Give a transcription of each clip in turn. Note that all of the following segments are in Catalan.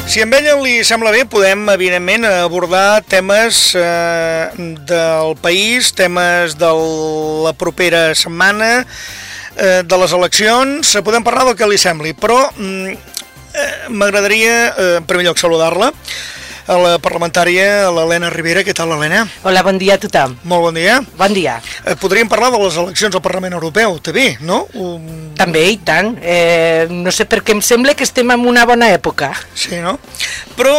Si a ella li sembla bé, podem, evidentment, abordar temes del país, temes de la propera setmana, de les eleccions, podem parlar del que li sembli, però m'agradaria, en primer lloc, saludar-la, a la parlamentària, a l'Helena Ribera. Què tal, Helena? Hola, bon dia a tothom. Molt bon dia. Bon dia. Podríem parlar de les eleccions al Parlament Europeu, també, no? També, i tant. No sé per què em sembla que estem en una bona època. Sí, no? Però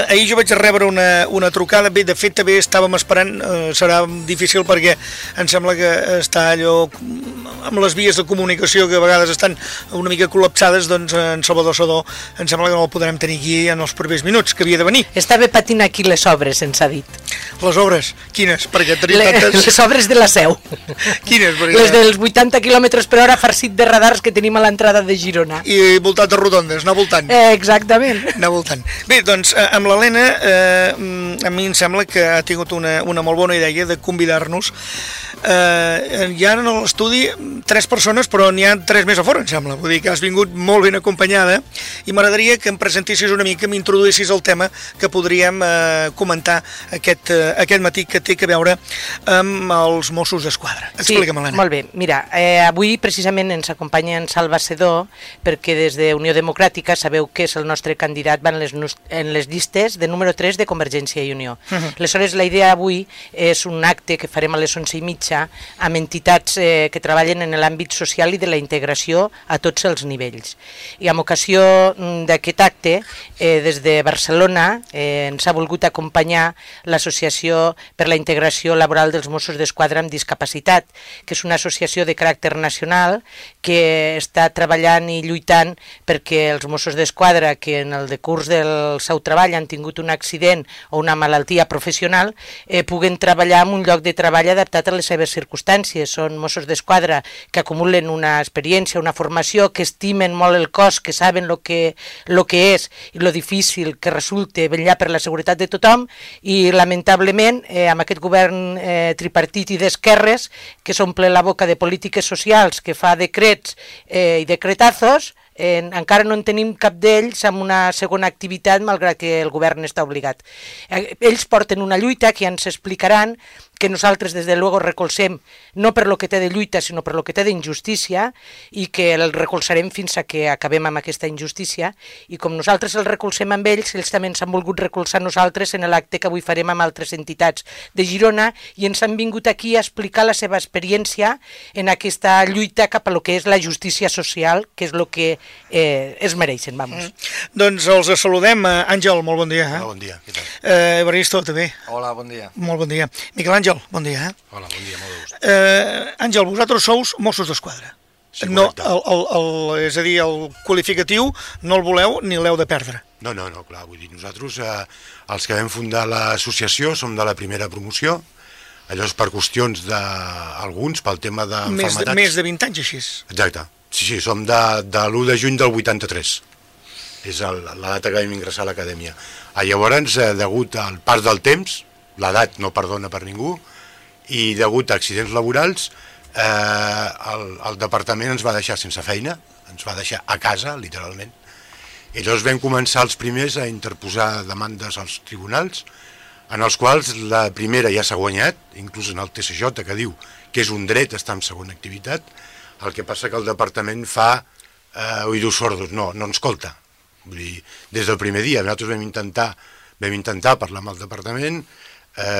ahir jo vaig rebre una trucada, bé, de fet també estàvem esperant, serà difícil perquè em sembla que està allò amb les vies de comunicació que a vegades estan una mica col·lapsades, doncs en Salvador Sedó em sembla que no el podrem tenir aquí en els propers minuts, que havia de venir. Estava patint aquí les obres, ens ha dit. Les obres? Quines? Perquè tenim tantes... Les obres de la Seu. Quines? Perquè... Les dels 80 km/h farcit de radars que tenim a l'entrada de Girona. I voltat de rotondes, anar voltant. Exactament. Anar voltant. Bé, doncs, amb l'Helena, a mi em sembla que ha tingut una molt bona idea de convidar-nos. Hi ha en l'estudi 3 persones, però n'hi ha 3 més a fora, em sembla. Vull dir que has vingut molt ben acompanyada i m'agradaria que em presentessis una mica, m'introduïssis el tema que podríem comentar aquest matí, que té a veure amb els Mossos d'Esquadra. Explica'm, Helena. Sí, molt bé. Mira, avui precisament ens acompanya en Salva Sedó, perquè des de Unió Democràtica sabeu que és el nostre candidat en les llistes de número 3 de Convergència i Unió. Aleshores, la idea avui és un acte que farem a les 11:30 amb entitats que treballen en l'àmbit social i de la integració a tots els nivells. I amb ocasió d'aquest acte, des de Barcelona, ens ha volgut acompanyar l'Associació per la Integració Laboral dels Mossos d'Esquadra amb Discapacitat, que és una associació de caràcter nacional que està treballant i lluitant perquè els Mossos d'Esquadra que en el decurs del seu treball han tingut un accident o una malaltia professional puguen treballar en un lloc de treball adaptat a les seves circumstàncies. Són Mossos d'Esquadra que acumulen una experiència, una formació, que estimen molt el cos, que saben lo que és i lo difícil que resulta vetllar per la seguretat de tothom, i lamentablement amb aquest govern tripartit i d'esquerres que s'omple la boca de polítiques socials, que fa decrets i decretazos, encara no en tenim cap d'ells amb una segona activitat, malgrat que el govern està obligat. Ells porten una lluita que ja ens explicaran, que nosaltres des de luego recolzem no per lo que té de lluita sinó per lo que té d'injustícia, i que el recolzarem fins a que acabem amb aquesta injustícia, i com nosaltres el recolzem amb ells, ells també ens han volgut recolzar nosaltres en l'acte que avui farem amb altres entitats de Girona, i ens han vingut aquí a explicar la seva experiència en aquesta lluita cap a lo que és la justícia social, que és el que es mereixen, vamos. Doncs els saludem. Àngel, molt bon dia. Hola, bon dia, què tal? Evaristo, també. Hola, bon dia. Molt bon dia. Miquel Àngel, bon dia. Hola, bon dia, molt de gust. Àngel, vosaltres sous Mossos d'Esquadra. Sí, no, correcte. és a dir, el qualificatiu no el voleu ni l'heu de perdre. No, clar, vull dir, nosaltres, els que vam fundar l'associació, som de la primera promoció, allò és per qüestions d'alguns, pel tema d'enfermetats. Més de 20 anys, així. Exacte, sí, som de l'1 de juny del 83, és la data que vam ingressar a l'acadèmia. Llavors, degut al pas del temps, l'edat no perdona per ningú, i degut a accidents laborals, el departament ens va deixar sense feina, ens va deixar a casa, literalment. I llavors vam començar els primers a interposar demandes als tribunals, en els quals la primera ja s'ha guanyat, inclús en el TSJ, que diu que és un dret estar en segona activitat. El que passa que el departament fa oïdos sordos, no ens escolta. Vull dir, des del primer dia nosaltres vam intentar parlar amb el departament,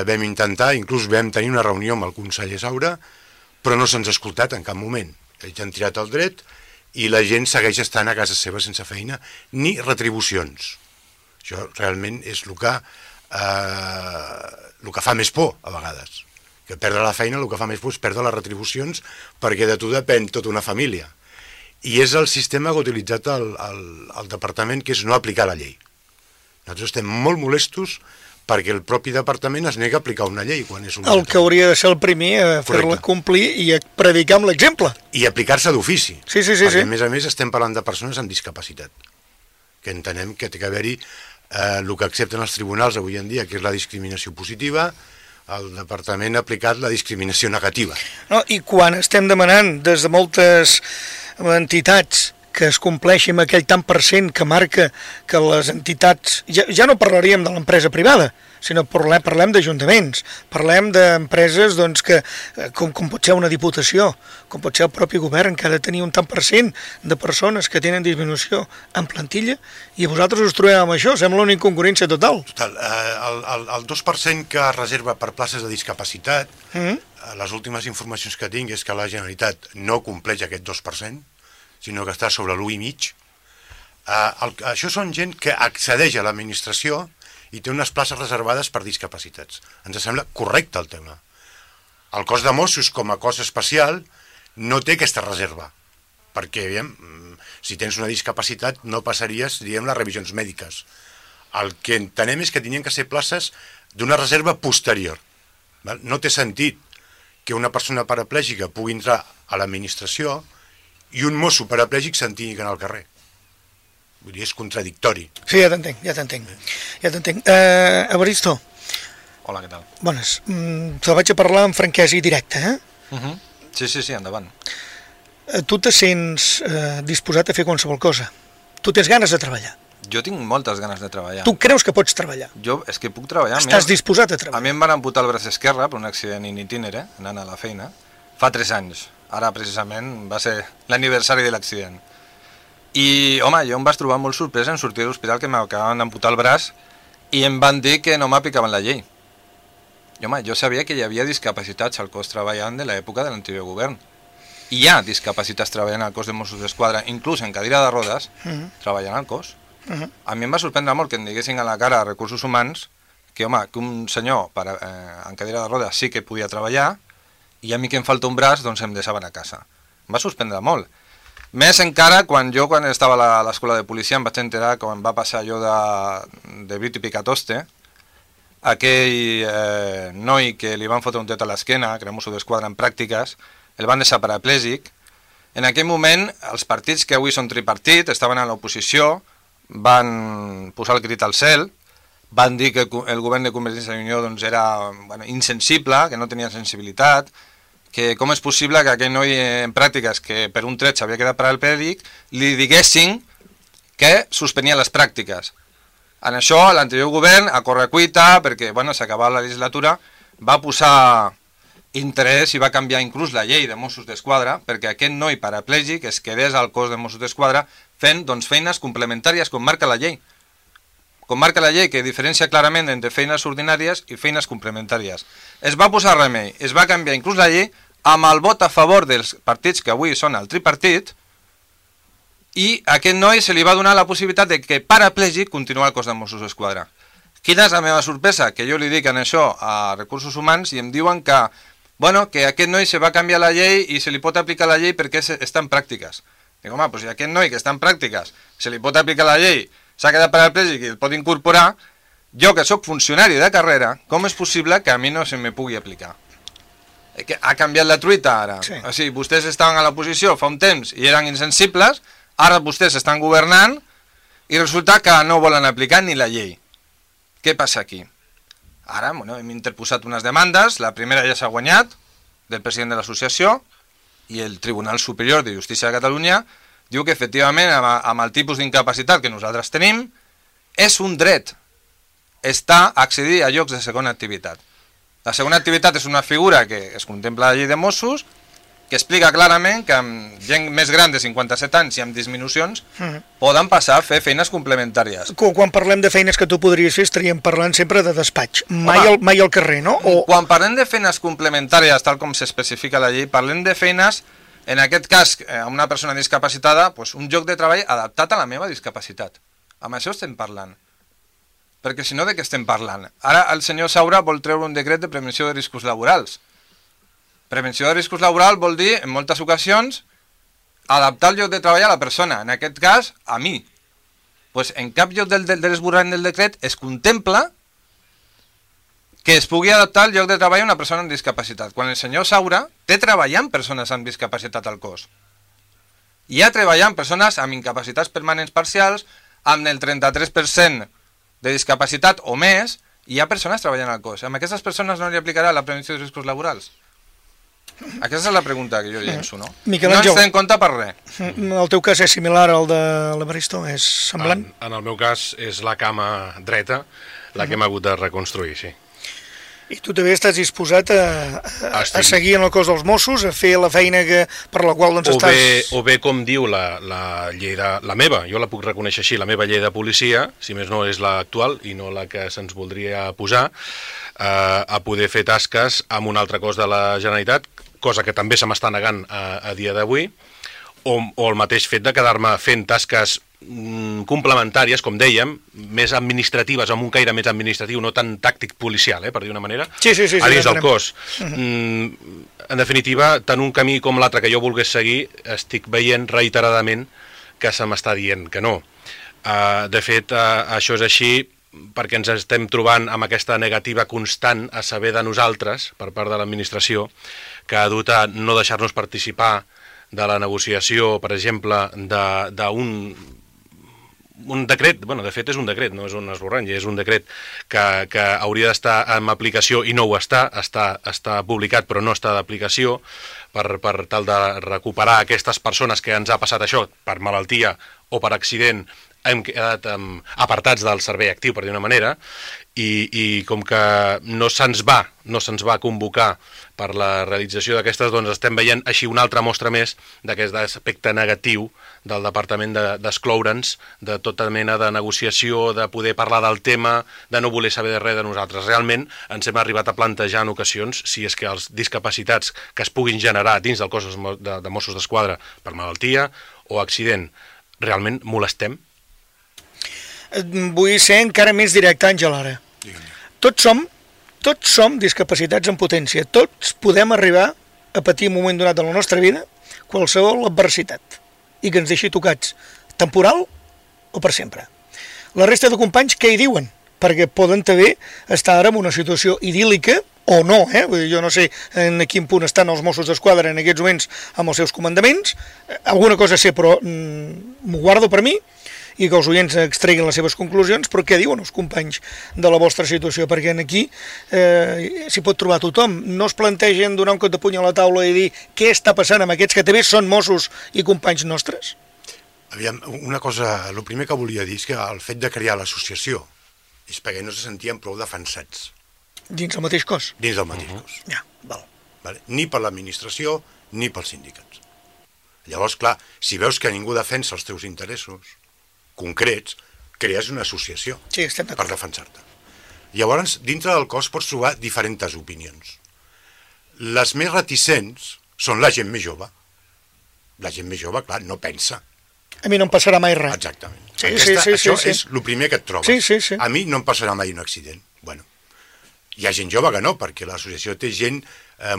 vam intentar, inclús vam tenir una reunió amb el conseller Saura, però no se'ns ha escoltat en cap moment. Ells han tirat el dret i la gent segueix estant a casa seva sense feina ni retribucions. Això realment és el que fa més por a vegades. Que perdre la feina el que fa més por és perdre les retribucions, perquè de tu depèn tota una família. I és el sistema que ha utilitzat el departament, que és no aplicar la llei. Nosaltres estem molt molestos perquè el propi departament es nega a aplicar una llei quan és una... El que hauria de ser el primer a fer-la complir i a predicar amb l'exemple. I aplicar-se d'ofici. Sí. Perquè, a més, estem parlant de persones amb discapacitat, que entenem que té que haver-hi el que accepten els tribunals avui en dia, que és la discriminació positiva. El departament ha aplicat la discriminació negativa. No, i quan estem demanant des de moltes entitats que es compleixi amb aquell tant per cent que marca que les entitats... Ja no parlaríem de l'empresa privada, sinó parlem d'ajuntaments, parlem d'empreses doncs, que, com pot ser una diputació, com pot ser el propi govern, que ha de tenir un tant per cent de persones que tenen disminució en plantilla, i vosaltres us trobeu amb això, sembla una incongruència total. Total. El 2% que es reserva per places de discapacitat, les últimes informacions que tinc és que la Generalitat no compleix aquest 2%, sinó que està sobre l'1,5%. Això són gent que accedeix a l'administració i té unes places reservades per discapacitats. Ens sembla correcte el tema. El cos de Mossos, com a cos especial, no té aquesta reserva, perquè, si tens una discapacitat, no passaries, les revisions mèdiques. El que entenem és que tenien que ser places d'una reserva posterior. No té sentit que una persona paraplègica pugui entrar a l'administració i un mosso paraplègic se'n tingui que anar al carrer. Vull dir, és contradictori. Sí, ja t'entenc. Evaristo. Hola, què tal? Bones. Te vaig a parlar amb franquesa i directe, Sí, endavant. Tu te sents disposat a fer qualsevol cosa? Tu tens ganes de treballar? Jo tinc moltes ganes de treballar. Tu creus que pots treballar? Jo és que puc treballar. Estàs disposat a treballar? A mi em van amputar el braç esquerre per un accident in itinere, anant a la feina, fa 3 anys. Ara, precisament, va ser l'aniversari de l'accident. I, home, jo em vaig trobar molt sorpresa en sortir de l'hospital que m'acabaven d'amputar el braç i em van dir que no m'aplicaven la llei. I, home, jo sabia que hi havia discapacitats al cos treballant de l'època de l'anterior govern. I hi ha discapacitats treballant al cos de Mossos d'Esquadra, inclús en cadira de rodes, treballant al cos. A mi em va sorprendre molt que em diguessin a la cara a Recursos Humans que, home, que un senyor en cadira de rodes sí que podia treballar i a mi que em falta un braç, doncs em deixaven a casa. Em va sorprendre molt. Més encara quan estava a l'escola de policia em vaig enterar quan va passar allò de Brit i Picatoste, aquell noi que li van fotre un tret a l'esquena, que era Mosso d'Esquadra en pràctiques, el van deixar paraplègic. En aquell moment, els partits que avui són tripartit estaven a l'oposició, van posar el crit al cel, van dir que el govern de Convergència i Unió doncs, era insensible, que no tenia sensibilitat, que com és possible que aquell noi en pràctiques que per un tret s'havia quedat paraplégic li diguessin que suspenia les pràctiques. En això l'anterior govern, a correcuita, perquè s'acabava la legislatura, va posar interès i va canviar inclús la llei de Mossos d'Esquadra perquè aquest noi paraplègic es quedés al cos de Mossos d'Esquadra fent feines complementàries com marca la llei. Com marca la llei, que diferencia clarament entre feines ordinàries i feines complementàries. Es va posar remei, es va canviar inclús la llei amb el vot a favor dels partits que avui són el tripartit i a aquest noi se li va donar la possibilitat de que paraplègic continuï al cos de Mossos d'Esquadra. Quina és la meva sorpresa? Que jo li dic en això a Recursos Humans i em diuen que, que aquest noi se va canviar la llei i se li pot aplicar la llei perquè està en pràctiques. Dic, home, si aquest noi que està en pràctiques se li pot aplicar la llei, s'ha quedat paraplégic i el pot incorporar, jo que sóc funcionari de carrera, com és possible que a mi no se me pugui aplicar? Ha canviat la truita ara. Sí. O sigui, vostès estaven a l'oposició fa un temps i eren insensibles, ara vostès estan governant i resulta que no volen aplicar ni la llei. Què passa aquí? Ara hem interposat unes demandes, la primera ja s'ha guanyat, del president de l'associació, i el Tribunal Superior de Justícia de Catalunya diu que efectivament amb el tipus d'incapacitat que nosaltres tenim és un dret accedir a llocs de segona activitat. La segona activitat és una figura que es contempla a la llei de Mossos que explica clarament que amb gent més gran de 57 anys i amb disminucions poden passar a fer feines complementàries. Quan parlem de feines que tu podries fer estaríem parlant sempre de despatx, mai al carrer, no? Quan parlem de feines complementàries, tal com s'especifica a la llei, parlem de feines, en aquest cas, a una persona discapacitada, un lloc de treball adaptat a la meva discapacitat. Amb això estem parlant. Perquè si no, de què estem parlant? Ara el senyor Saura vol treure un decret de prevenció de riscos laborals. Prevenció de riscos laborals vol dir, en moltes ocasions, adaptar el lloc de treball a la persona, en aquest cas, a mi. En cap lloc de l'esborrany del decret es contempla que es pugui adaptar el lloc de treball a una persona amb discapacitat, quan el senyor Saura té treballant persones amb discapacitat al cos. Hi ha treballant persones amb incapacitats permanents parcials, amb el 33% de discapacitat o més, i hi ha persones treballant al cos. Amb aquestes persones no li aplicarà la prevenció de riscos laborals? Aquesta és la pregunta que jo llenço, no? Miquel No ens Àngel. té en compte per res. El teu cas és similar al de l'Evaristo? És semblant? En el meu cas és la cama dreta la que hem hagut de reconstruir, sí. I tu també estàs disposat a Estic. seguir en el cos dels Mossos, a fer la feina per la qual doncs, estàs... O bé, com diu la llei la meva, jo la puc reconèixer així, la meva llei de policia, si més no és l'actual i no la que se'ns voldria posar, a poder fer tasques amb un altre cos de la Generalitat, cosa que també se m'està negant a dia d'avui, o el mateix fet de quedar-me fent tasques complementàries, com dèiem, més administratives, amb un caire més administratiu, no tan tàctic policial, per dir una manera, sí, a dins del cos. En definitiva, tant un camí com l'altre que jo volgués seguir, estic veient reiteradament que se m'està dient que no. De fet, això és així perquè ens estem trobant amb aquesta negativa constant a saber de nosaltres, per part de l'administració, que ha dut a no deixar-nos participar de la negociació, per exemple, d'un decret, bueno, de fet és un decret, no és un esborrany, és un decret que hauria d'estar en aplicació i no ho està publicat però no està d'aplicació per tal de recuperar aquestes persones que ens ha passat això per malaltia o per accident, hem quedat apartats del servei actiu, per dir una manera, i com que no se'ns va convocar per la realització d'aquestes, doncs estem veient així una altra mostra més d'aquest aspecte negatiu del departament d'excloure'ns de tota mena de negociació, de poder parlar del tema, de no voler saber de res de nosaltres. Realment ens hem arribat a plantejar en ocasions si és que els discapacitats que es puguin generar dins del cos de Mossos d'Esquadra per malaltia o accident, realment molestem? Vull ser encara més directe, Àngel, ara. Tots som discapacitats en potència. Tots podem arribar a patir un moment donat de la nostra vida qualsevol adversitat i que ens deixi tocats, temporal o per sempre. La resta de companys què hi diuen? Perquè poden també estar ara en una situació idíl·lica o no, Vull dir, jo no sé en quin punt estan els Mossos d'Esquadra en aquests moments amb els seus comandaments, alguna cosa sé, però m'ho guardo per mi, i que els oients extreguin les seves conclusions, però què diuen els companys de la vostra situació? Perquè aquí s'hi pot trobar tothom. No es plantegen donar un cop de puny a la taula i dir què està passant amb aquests que també són Mossos i companys nostres? Aviam, una cosa, el primer que volia dir és que el fet de crear l'associació és perquè no se sentien prou defensats. Dins el mateix cos? Dins del mateix cos. Ja, val. Vale? Ni per l'administració, ni pels sindicats. Llavors, clar, si veus que ningú defensa els teus interessos concrets, crees una associació per defensar-te. Llavors, dintre del cos pots trobar diferents opinions. Les més reticents són la gent més jove. La gent més jove, clar, no pensa. A mi no em passarà mai res. Exactament. Això és el primer que et trobes. Sí. A mi no em passarà mai un accident. Bueno, hi ha gent jove que no, perquè l'associació té gent,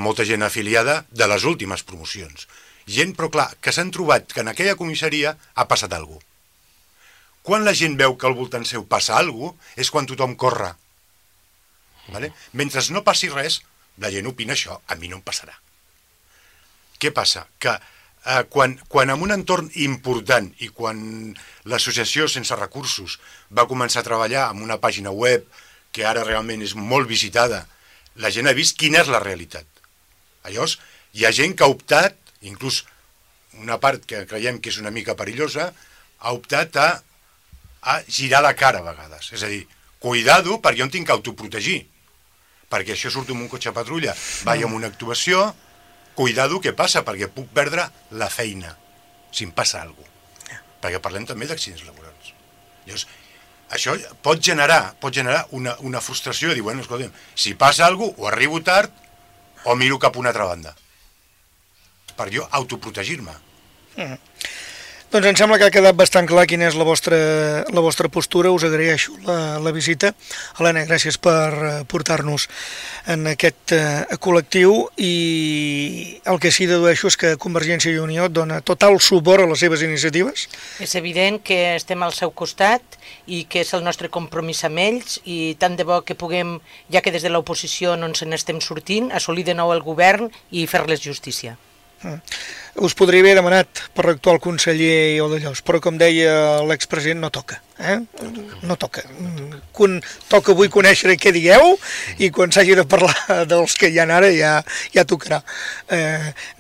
molta gent afiliada de les últimes promocions. Gent, però clar, que s'han trobat que en aquella comissaria ha passat alguna cosa. Quan la gent veu que al voltant seu passa alguna cosa, és quan tothom corre. Vale? Mentre no passi res, la gent opina això, a mi no em passarà. Què passa? Que quan en un entorn important i quan l'associació sense recursos va començar a treballar amb una pàgina web que ara realment és molt visitada, la gent ha vist quina és la realitat. Llavors, hi ha gent que ha optat, inclús una part que creiem que és una mica perillosa, ha optat a girar la cara a vegades. És a dir, cuidado perquè jo em tinc que autoprotegir. Perquè això surto amb un cotxe patrulla, vaig amb una actuació, cuidado què passa, perquè puc perdre la feina, si em passa alguna cosa. Perquè parlem també d'accidents laborals. Llavors, això pot generar una frustració de dir, bueno, escolta'm, si passa alguna cosa, o arribo tard, o miro cap a una altra banda. Per jo autoprotegir-me. Doncs em sembla que ha quedat bastant clar quina és la vostra postura. Us agraeixo la visita. Helena, gràcies per portar-nos en aquest col·lectiu, i el que sí dedueixo és que Convergència i Unió dona total suport a les seves iniciatives. És evident que estem al seu costat i que és el nostre compromís amb ells, i tant de bo que puguem, ja que des de l'oposició no ens n'estem sortint, assolir de nou el govern i fer-les justícia. us podria haver demanat per l'actual conseller Odellós, però com deia l'expresident, no toca. No toca. Toca avui conèixer què dieu i quan s'hagi de parlar dels que hi ha ara ja tocarà.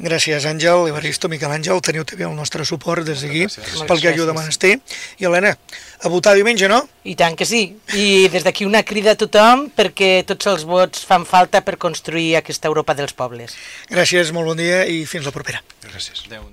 Gràcies, Àngel, Evaristo, Miquel Àngel, teniu també el nostre suport des d'aquí pel que ajuda a menester. I Helena, a votar diumenge, no? I tant que sí. I des d'aquí una crida a tothom perquè tots els vots fan falta per construir aquesta Europa dels pobles. Gràcies, molt bon dia i fins la propera. Gràcies. Adéu.